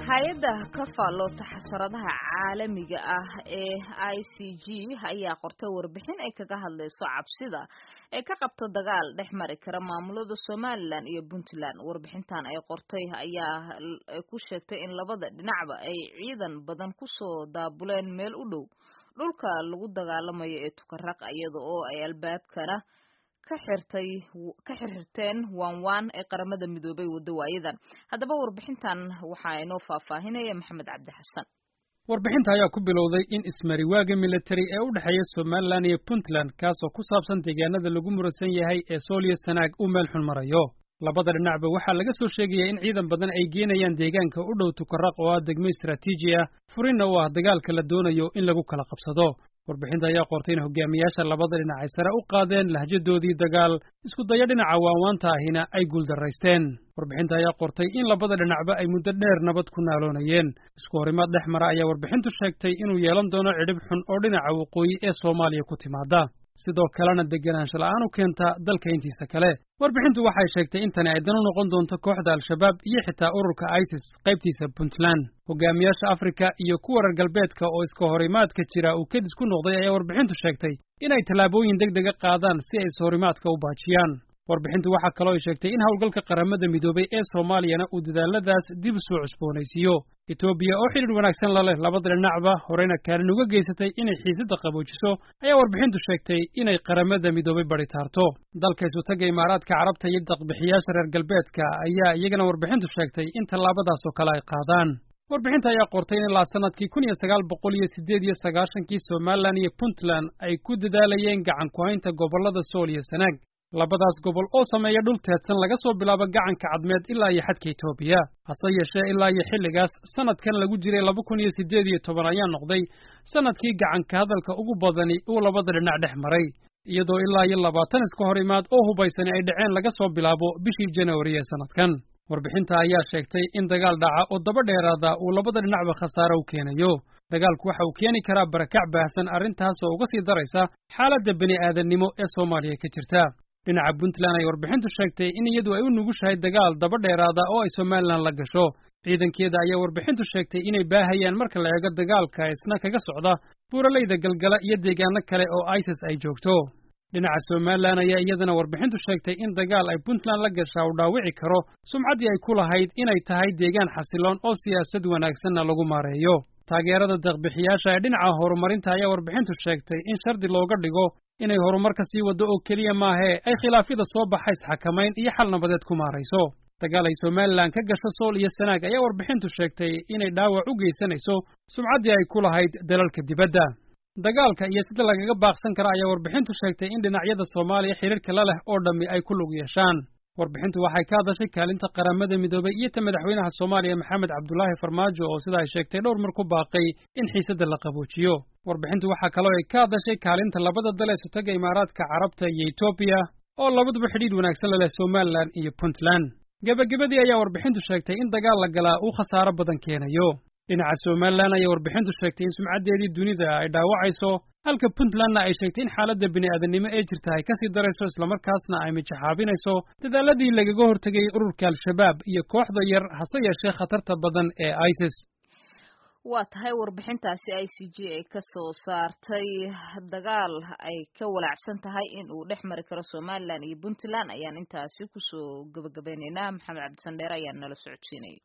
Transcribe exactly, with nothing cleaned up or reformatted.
Hay-adda ka faalloota xasaradaha caalamiga ah ee I C G ayaa qortay warbixin ay kaga hadlayso cabsida ay ka qabto dagaal dhex mari kara maamulada Somalilan iyo Puntland. Warbixintan ay qortay ayaa ku sheegtay in labada dhinacba ay ciidan badan kusoo daabuleen meel u dhow dhulka lagu dagaalamayo ee Tukaraq, iyada oo ay albaabkana ka xirtay ka xirxirteen waanwaan ee Qaramada Midoobay wadawaayadan. Haddaba warbixintan waxaa inoo faahfaahinaya Maxamed Cabdi Xasan. Warbixinta ayaa ku bilowday in ismariwaaga military ee u dhexeeya Somalilan iyo Puntland, kaasoo ku saabsan deegaanada lagu muransan yahay ee Sool iyo Sanaag, uu meel xun marayo. Labada dhinacba waxaa laga soo sheegayaa in ciidan badan ay geenayaan deegaanka u dhow Tukaraq, oo ah degmo istaraatiiji ah, furinna u ah dagaalka la doonayo in lagu kala qabsado. Warbixinta ayaa qortay in hogaamiyaasha labada dhinac ay sare u qaadeen lahjadoodii dagaal, isku dayo dhinaca waanwaanta ahina ay guuldarraysteen. Warbixinta ayaa qortay in labada dhinacba ay muddo dheer nabad ku naaloonayeen. Isku horimaad dhex mara ayaa warbixintu sheegtay inuu yeelan doono cidhib xun oo dhinaca waqooyi ee Soomaaliya ku timaada, sidoo kalena degenaansho la'aan u keenta dalka intiisa kale. Warbixintu waxay sheegtay in tani ay dan u noqon doonto kooxda Al-Shabaab iyo xitaa ururka ISIS qaybtiisa Puntland. Hogaamiyaasha Afrika iyo kuwa reer galbeedka oo iska horimaadka jira uu kedis ku noqday ayaa warbixintu sheegtay inay tallaabooyin deg dega qaadaan si ay ishorimaadka u baajiyaan. Warbixintu waxaa kaloo ay sheegtay in howlgalka Qaramada Midoobay ee Soomaaliyana uu dadaaladaas dib soo cusboonaysiiyo. Etoobiya oo xidhiidh wanaagsan la leh labada dhinacba, horeyna kaalin uga geysatay inay xiisadda qaboojiso, ayaa warbixintu sheegtay inay Qaramada Midoobay baritaarto. Dalka Isutaga Imaaraadka Carabta iyo daqbixiyaasha reer galbeedka ayaa iyagana warbixintu sheegtay in tallaabadaas oo kale ay qaadaan. Warbixinta ayaa qortay in ilaa sanadkii kun iyo sagaal boqol iyo siddeed iyo sagaashankii Somalilan iyo Puntland ay ku dadaalayeen gacan ku haynta gobollada Sool iyo Sanaag, labadaas gobol oo sameeya dhul teedsan laga soo bilaabo Gacanka Cadmeed ilaa iyo xadka Etoobiya. Hase yeeshee, ilaa iyo xilligaas, sanadkan lagu jiray laba kun iyo siddeed iyo toban ayaa noqday sanadkii gacanka hadalka ugu badani uu labada dhinac dhex maray, iyadoo ilaa iyo labaatan iska hor imaad oo hubaysani ay dhaceen laga soo bilaabo bishii Januari ee sanadkan. Warbixinta ayaa sheegtay in dagaal dhaca oo daba dheeraada uu labada dhinacba khasaare u keenayo. Dagaalku waxa uu keeni karaa barakac baahsan, arrintaas oo uga sii daraysa xaaladda bini aadannimo ee Soomaaliya ka jirta. Dhinaca Puntland ay warbixintu sheegtay in iyadu ay u nugushahay dagaal daba dheeraada oo ay Somalilan la gasho. Ciidankeeda ayaa warbixintu sheegtay inay baahayaan marka la eego dagaalka isna kaga socda buuralayda Galgala iyo deegaano kale oo ISIS ay joogto. Dhinaca Somalilan ayaa iyadana warbixintu sheegtay in dagaal ay Puntland la gashaa uu dhaawici karo sumcaddii ay ku lahayd inay tahay deegaan xasiloon oo siyaasad wanaagsanna lagu maareeyo. Taageerada deeqbixiyaasha ee dhinaca horumarinta ayaa warbixintu sheegtay in shardi looga dhigo inay horumar ka sii waddo oo keliya maahee ay khilaafyada soo baxa isxakamayn iyo xal nabadeed ku maarayso. Dagaal ay Somalilan ka gasho Sool iyo Sanaag ayaa warbixintu sheegtay inay dhaawac u geysanayso sumcaddii ay ku lahayd dalalka dibadda. Dagaalka iyo sida lagaga baaqsan kara ayaa warbixintu sheegtay in dhinacyada Soomaaliya xiriirka la leh oo dhammi ay ku lug yeeshaan. Warbixintu waxay ka hadashay kaalinta Qaramada Midoobay iyo ta madaxweynaha Soomaaliya Maxamed Cabdulaahi Farmaajo, oo sida ay sheegtay dhowr mar ku baaqay in xiisadda la qaboojiyo. Warbixintu waxaa kaloo ay ka hadashay kaalinta labada dal ee Sutaga Imaaraadka Carabta iyo Etoobiya, oo labaduba xidhiidh wanaagsan la leh Somalilan iyo Puntland. Gebagabadii ayaa warbixintu sheegtay in dagaal la galaa uu khasaaro badan keenayo. Dhinaca Somalilan ayaa warbixintu sheegtay in sumcaddeedii dunida ay dhaawacayso, halka Puntlandna ay sheegtay in xaaladda bini'aadannimo ee jirta ay kasii darayso, islamarkaasna ay mijaxaabinayso dadaaladii lagaga hortegayay ururka Al-Shabaab iyo kooxda yar hase yeeshee khatarta badan ee ISIS. Waa tahay, warbixintaasi I C G ay ka soo saartay dagaal ay ka walaacsan tahay in uu dhex mari karo Somalilan iyo Puntland ayaan intaasi kusoo gabagabeyneynaa. Maxamed Cabdisandheere ayaa nala socodsiinayay.